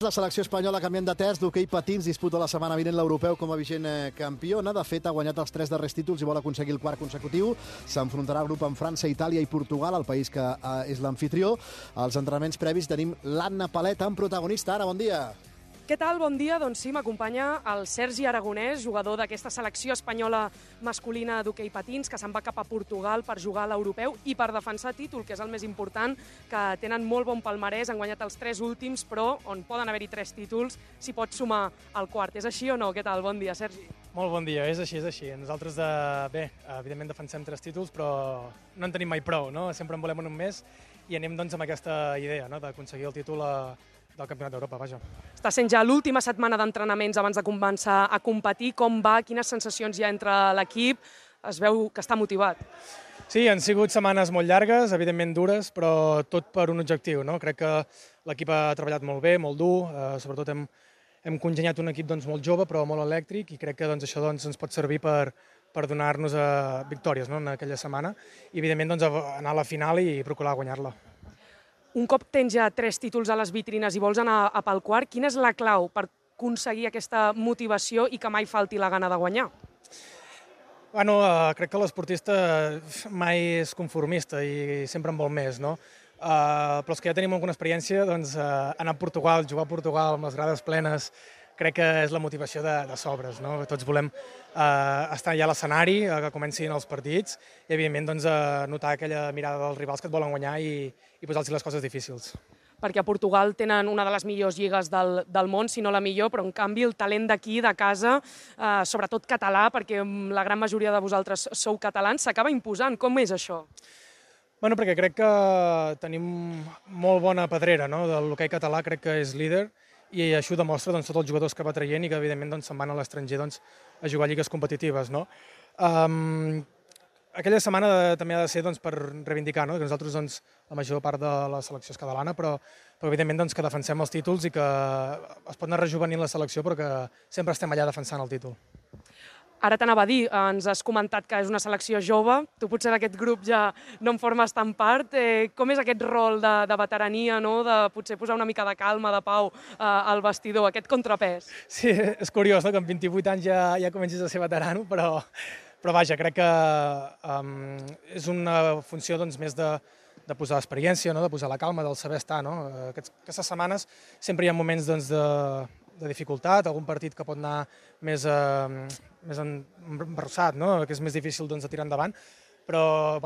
La selecció espanyola canviant de terç d'hoquei patins disputa la setmana vinent l'europeu com a vigent campiona. De fet, ha guanyat els 3 darrers títols i vol aconseguir el 4 consecutiu. S'enfrontarà al grup amb França, Itàlia i Portugal, el país que és l'amfitrió. Als entrenaments previs tenim l'Anna Paleta, en protagonista. Ara, bon dia. Què tal? Bon dia. Doncs sí, m'acompanya el Sergi Aragonès, jugador d'aquesta selecció espanyola masculina d'hoquei patins, que se'n va cap a Portugal per jugar a l'europeu i per defensar títol, que és el més important, que tenen molt bon palmarès, han guanyat els 3 últims, però on poden haver-hi 3 títols, s'hi pot sumar el quart. És així o no? Què tal? Bon dia, Sergi. Molt bon dia, és així, és així. Nosaltres, evidentment defensem 3 títols, però no en tenim mai prou, no? Sempre en volem un més i anem doncs amb aquesta idea, no? D'aconseguir el títol del Campionat d'Europa, vaja. Està sent ja l'última setmana d'entrenaments abans de començar a competir. Com va? Quines sensacions hi ha entre l'equip? Es veu que està motivat. Sí, han sigut setmanes molt llargues, evidentment dures, però tot per un objectiu, no? Crec que l'equip ha treballat molt bé, molt dur, sobretot hem congeniat un equip molt jove però molt elèctric i crec que això ens pot servir per donar-nos victòries, no? En aquella setmana i evidentment anar a la final i procurar guanyar-la. Un cop tens ja 3 títols a les vitrines i vols anar a pel quart, quina és la clau per aconseguir aquesta motivació i que mai falti la gana de guanyar? Bueno, crec que l'esportista mai és conformista i sempre en vol més, no? Però els que ja tenim alguna experiència, anar a Portugal, jugar a Portugal amb les grades plenes, crec que és la motivació de sobres, no? Tots volem estar ja a l'escenari, que comencin els partits i, evidentment, notar aquella mirada dels rivals que et volen guanyar i posar-los les coses difícils. Perquè a Portugal tenen una de les millors lligues del món, si no la millor, però en canvi el talent d'aquí, de casa, sobretot català, perquè la gran majoria de vosaltres sou catalans, s'acaba imposant. Com és això? Bueno, perquè crec que tenim molt bona pedrera, no? De l'hoquei català crec que és líder i això ho demostra tots els jugadors que va traient i que evidentment se'n van a l'estranger a jugar a lligues competitives, no? Aquella setmana també ha de ser per reivindicar, no? Que nosaltres, la major part de la selecció és catalana, però evidentment que defensem els títols i que es pot anar rejuvenint la selecció, però que sempre estem allà defensant el títol. Ara t'anava a dir, ens has comentat que és una selecció jove, tu potser d'aquest grup ja no en formes tan part. Com és aquest rol de veterania, no? De potser posar una mica de calma, de pau al vestidor, aquest contrapès? Sí, és curiós, no? Que amb 28 anys ja comencis a ser veterano, però vaja, crec que és una funció més de posar experiència, no? De posar la calma, del saber estar, no? Aquestes setmanes sempre hi ha moments de dificultat, algun partit que pot anar més embarrossat, no? Que és més difícil de tirar endavant, però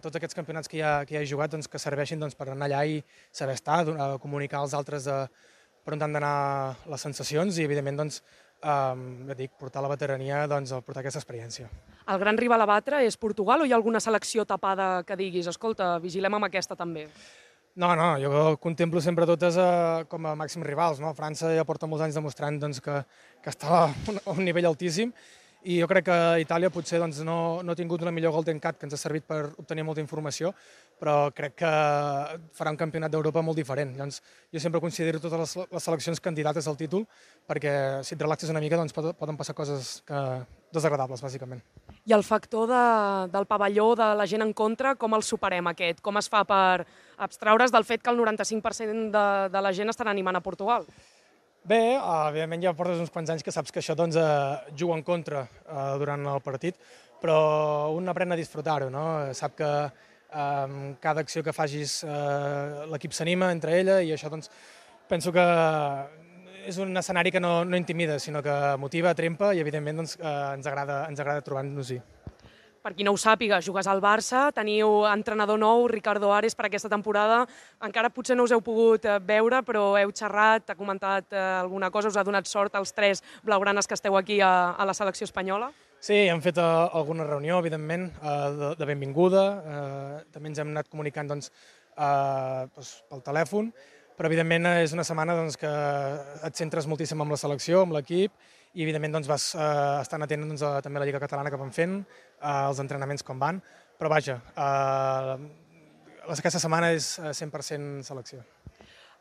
tots aquests campionats que ja he jugat que serveixin per anar allà i saber estar, comunicar als altres per on han d'anar les sensacions i evidentment portar la veterania a portar aquesta experiència. El gran rival a batre és Portugal o hi ha alguna selecció tapada que diguis escolta, vigilem amb aquesta també? No, jo contemplo sempre totes com a màxims rivals, no? França ja porta molts anys demostrant que està a un nivell altíssim i jo crec que Itàlia potser no ha tingut la millor Golden Cat que ens ha servit per obtenir molta informació, però crec que farà un campionat d'Europa molt diferent. Llavors, jo sempre considero totes les seleccions candidates al títol perquè si et relaxes una mica poden passar coses desagradables, bàsicament. I el factor del pavelló, de la gent en contra, com el superem aquest? Com es fa per abstraure's del fet que el 95% de la gent estarà animant a Portugal? Bé, evidentment ja portes uns quants anys que saps que això juga en contra durant el partit, però un aprèn a disfrutar-ho, no? Sap que cada acció que facis l'equip s'anima entre ella i això penso que és un escenari que no intimida, sinó que motiva, trempa i evidentment ens agrada trobar-nos-hi. Per qui no ho sàpiga, jugues al Barça, teniu entrenador nou, Ricardo Ares, per aquesta temporada. Encara potser no us heu pogut veure, però heu xerrat, ha comentat alguna cosa, us ha donat sort als 3 blaugranes que esteu aquí a la selecció espanyola? Sí, hem fet alguna reunió, evidentment, de benvinguda. També ens hem anat comunicant pel telèfon, però evidentment és una setmana que et centres moltíssim amb la selecció, amb l'equip, i evidentment vas estant atent també a la Lliga Catalana que van fent, els entrenaments com van, però vaja, aquesta setmana és 100% selecció.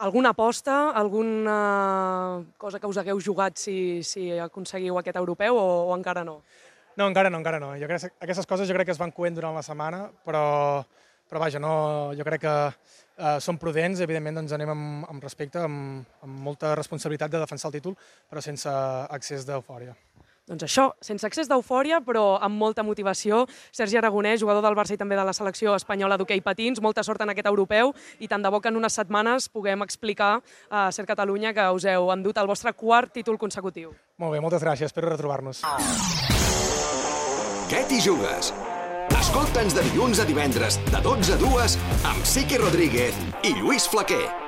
Alguna aposta, alguna cosa que us hagueu jugat si aconseguiu aquest europeu o encara no? No, encara no. Aquestes coses jo crec que es van coent durant la setmana, però vaja, jo crec que som prudents, evidentment doncs anem amb respecte, amb molta responsabilitat de defensar el títol, però sense excés d'eufòria. Doncs això, sense excés d'eufòria, però amb molta motivació. Sergi Aragonès, jugador del Barça i també de la selecció espanyola d'hoquei patins, molta sort en aquest europeu i tant de bo que en unes setmanes puguem explicar a Ser Catalunya que us heu endut el vostre quart títol consecutiu. Molt bé, moltes gràcies, espero retrobar-nos. Què t'hi jugues? Escolta'ns de dilluns a divendres, de 12 a 2, amb Sique Rodríguez i Lluís Flaquer.